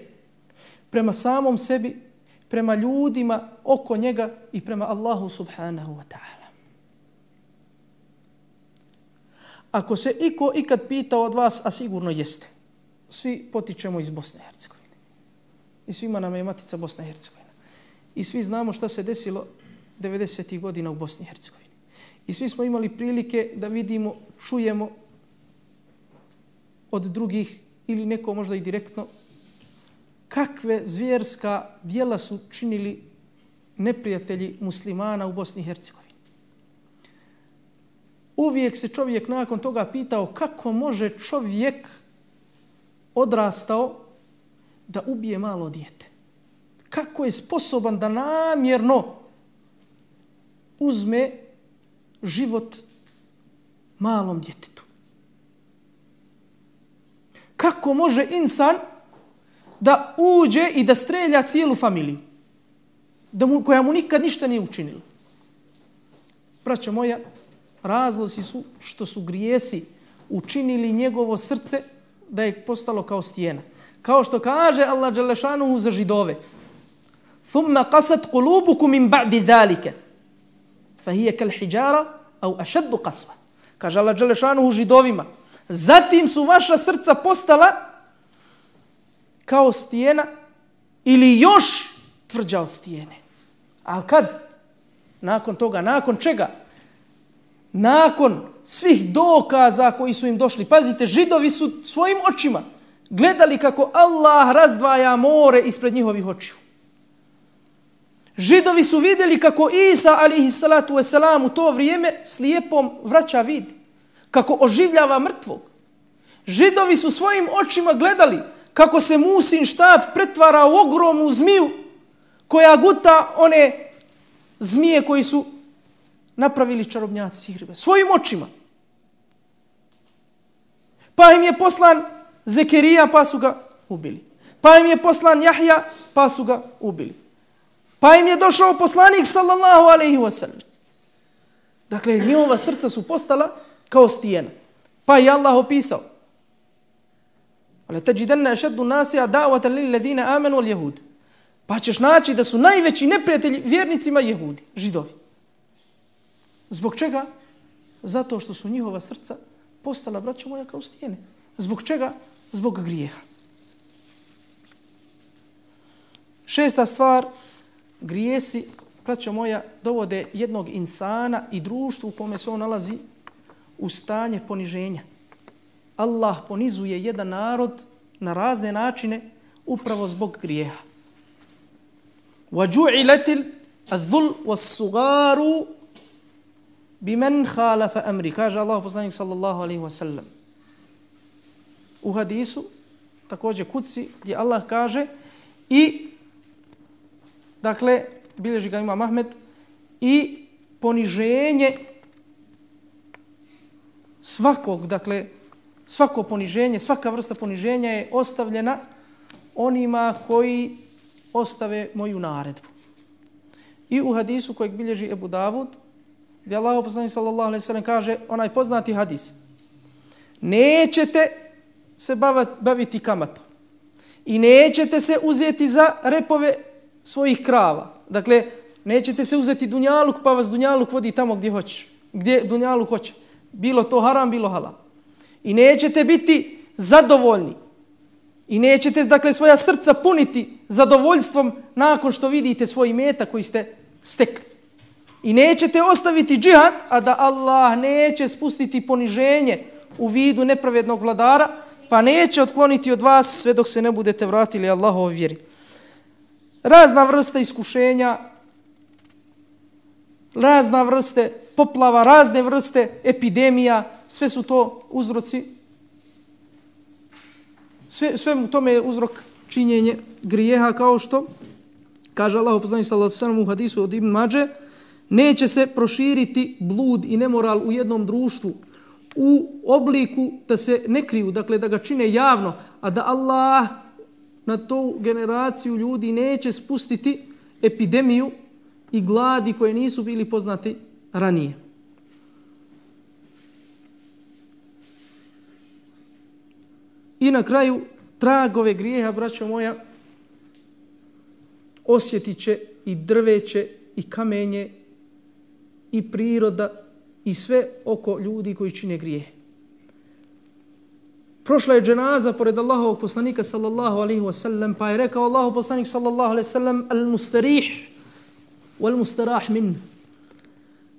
prema samom sebi, prema ljudima oko njega i prema Allahu subhanahu wa ta'ala. Ako se iko ikad pitao od vas, a sigurno jeste, svi potičemo iz Bosne i Hercegovine. I svima nam je matica Bosna i Hercegovina. I svi znamo šta se desilo devedesetih godina u Bosni i Hercegovini. I svi smo imali prilike da vidimo, čujemo od drugih ili neko možda i direktno kakve zvjerska djela su činili neprijatelji muslimana u Bosni i Hercegovini. Uvijek se čovjek nakon toga pitao kako može čovjek odrastao da ubije malo dijete. Kako je sposoban da namjerno uzme život malom djetetu. Kako može insan da uđe i da strelja cijelu familiju, da mu, koja mu nikad ništa nije učinila. Braćo moja, razlozi su što su grijesi učinili njegovo srce da je postalo kao stijena. Kao što kaže Allah dželle šanuhu za Židove: "Thumma qasat qulubukum min ba'di zalika, fa hiya kal hijara aw ashad qaswa." Kaže Allah dželle šanuhu Židovima: zatim su vaša srca postala kao stijena ili još tvrđa od stijene. Ali kad? Nakon toga, nakon čega? Nakon svih dokaza koji su im došli. Pazite, Židovi su svojim očima gledali kako Allah razdvaja more ispred njihovih očiju. Židovi su vidjeli kako Isa alejhi salatu vesselam u to vrijeme slijepom vraća vid, kako oživljava mrtvog. Židovi su svojim očima gledali kako se Musin štap pretvara u ogromnu zmiju koja guta one zmije koji su napravili čarobnjaci sihirbe. Svojim očima. Pa im je poslan Zekerija, pa su ga ubili. Pa im je poslan Jahja, pa su ga ubili. Pa im je došao poslanik sallallahu alejhi ve sellem. Dakle, njihova srca su postala kao stijena. Pa je Allah opisao: "Ale tajidanna ashaddu an-nasi adawatan lil ladina amanu wal yahud." Pa ćeš naći da su najveći neprijatelji vjernicima Jehudi, Židovi. Zbog čega? Zato što su njihova srca postala, braćo moja, kao stijene. Zbog čega? Zbog grijeha. Šesta stvar, grijesi, braćo moja, dovode jednog insana i društvu u kome se on nalazi u stanje poniženja. Allah ponizuje jedan narod na razne načine upravo zbog grijeha. وَجُعِلَتِ الذُّلْ وَالصُّغَارُ بِمَنْ خَالَفَ أَمْرِ. Kaže Allah poslanik sallallahu alaihi wa sallam u hadisu, također kuci, gdje Allah kaže i, dakle, bilježi ga Imam Ahmed, i poniženje svakog, dakle, svako poniženje, svaka vrsta poniženja je ostavljena onima koji ostave moju naredbu. I u hadisu kojeg bilježi Ebu Davud, gdje Allah poslanik sallallahu alejhi ve sellem kaže, onaj poznati hadis: nećete se baviti kamatom i nećete se uzeti za repove svojih krava. Dakle, nećete se uzeti dunjaluk pa vas dunjaluk vodi tamo gdje hoće, gdje dunjaluk hoće. Bilo to haram, bilo halal. I nećete biti zadovoljni. I nećete, dakle, svoja srca puniti zadovoljstvom nakon što vidite svoj imetak koji ste stekli. I nećete ostaviti džihad, a da Allah neće spustiti poniženje u vidu nepravednog vladara, pa neće otkloniti od vas sve dok se ne budete vratili Allahovoj vjeri. Razna vrsta iskušenja, razna vrste poplava, razne vrste epidemija, sve su to uzroci. Sve, sve u tome je uzrok činjenje grijeha, kao što kaže Allah poslanik sallallahu alejhi ve sellem u hadisu od Ibn Madže: neće se proširiti blud i nemoral u jednom društvu u obliku da se ne kriju, dakle da ga čine javno, a da Allah na tu generaciju ljudi neće spustiti epidemiju i gladi koje nisu bili poznati ranije. I na kraju, tragove grijeha, braćo moja, osjetit će i drveće, i kamenje, i priroda, i sve oko ljudi koji čine grijehe. Prošla je dženaza pored Allahovog poslanika sallallahu alaihi wa sallam, pa je rekao Allahov poslanik sallallahu alaihi wa sallam: al-mustarih wal-mustarah min.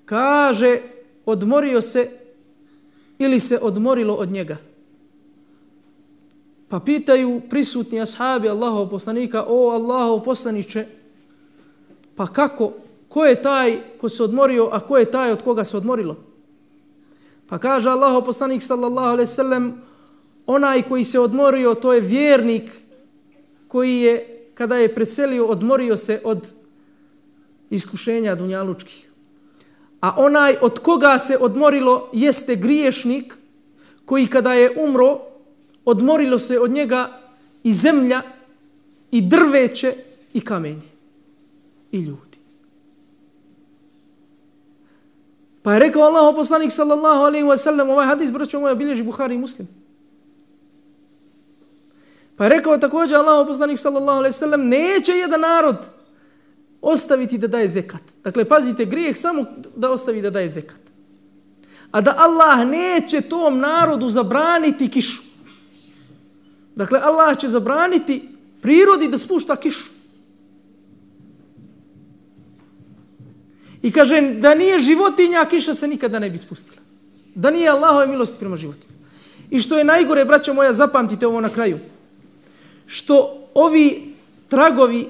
Kaže, odmorio se ili se odmorilo od njega. Pa pitaju prisutni ashabi Allahov poslanika, o Allahov poslaniče, pa kako, ko je taj ko se odmorio, a ko je taj od koga se odmorilo? Pa kaže Allahov poslanik sallallahu alejhi ve sellem, onaj koji se odmorio, to je vjernik koji je, kada je preselio, odmorio se od iskušenja dunjalučkih. A onaj od koga se odmorilo jeste griješnik koji kada je umro, odmorilo se od njega i zemlja, i drveće, i kamenje, i ljudi. Pa je rekao Allahov poslanik sallallahu alejhi ve sellem, ovaj hadis, braćo moja, bilježi Buhari i Muslim. Pa je rekao također Allahov poslanik sallallahu alejhi ve sellem, neće jedan narod ostaviti da daje zekat. Dakle, pazite, grijeh samo da ostavi da daje zekat. A da Allah neće tom narodu zabraniti kišu. Dakle, Allah će zabraniti prirodi da spušta kišu. I kaže, da nije životinja, kiša se nikada ne bi spustila. Da nije Allahove milosti prema životinja. I što je najgore, braćo moja, zapamtite ovo na kraju. Što ovi tragovi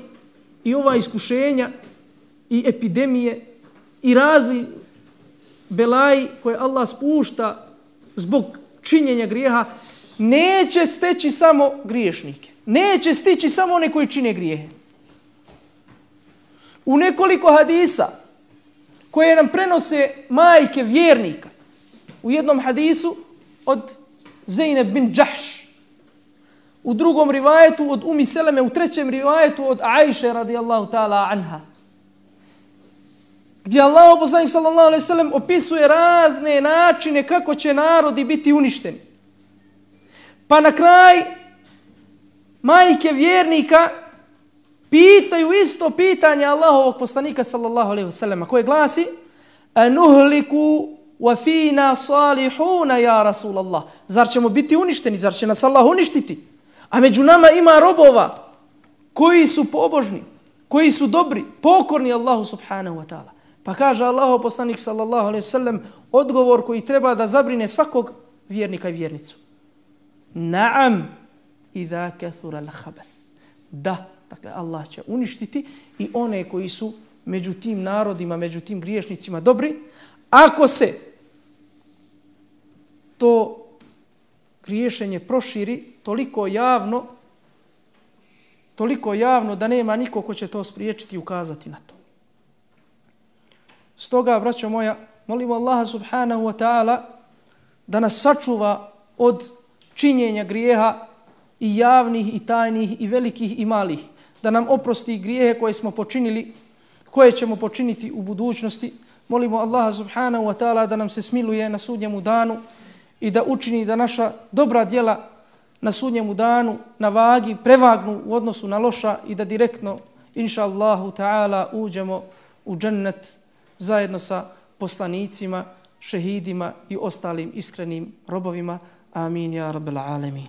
i ova iskušenja i epidemije i razni belaji koje Allah spušta zbog činjenja grijeha, neće steći samo griješnike. Neće stići samo one koji čine grijehe. U nekoliko hadisa koje nam prenose majke vjernika, u jednom hadisu od Zeynep bin Džahš, u drugom rivajetu od Umi Seleme, u trećem rivajetu od Ajše radijallahu ta'ala anha, gdje Allah poslanik sallallahu alejhi ve sellem opisuje razne načine kako će narodi biti uništeni. Pa na kraj majke vjernika pitaju isto pitanje Allahovog poslanika sallallahu alejhi ve sellem, koje glasi: anuhliku wa fina salihuna ya Rasulallah. Zar ćemo biti uništeni? Zar će nas Allah uništiti? A među nama ima robova koji su pobožni, koji su dobri, pokorni Allahu subhanahu wa ta'ala. Pa kaže Allahov poslanik sallallahu alejhi ve sellem odgovor koji treba da zabrine svakog vjernika i vjernicu. Naam, idha kathura al-khabath. Da, dakle Allah će uništiti i one koji su među tim narodima, među tim griješnicima dobri, ako se to griješenje proširi toliko javno, toliko javno da nema niko ko će to spriječiti i ukazati na to. Stoga, braćo moja, molimo Allaha subhanahu wa ta'ala da nas sačuva od činjenja grijeha i javnih i tajnih i velikih i malih, da nam oprosti grijehe koje smo počinili, koje ćemo počiniti u budućnosti. Molimo Allaha subhanahu wa ta'ala da nam se smiluje na sudnjemu danu i da učini da naša dobra djela na sudnjemu danu na vagi prevagnu u odnosu na loša i da direktno, inša Allahu ta'ala, uđemo u džennet zajedno sa poslanicima, šehidima i ostalim iskrenim robovima. Amin, ja rabbel alemin.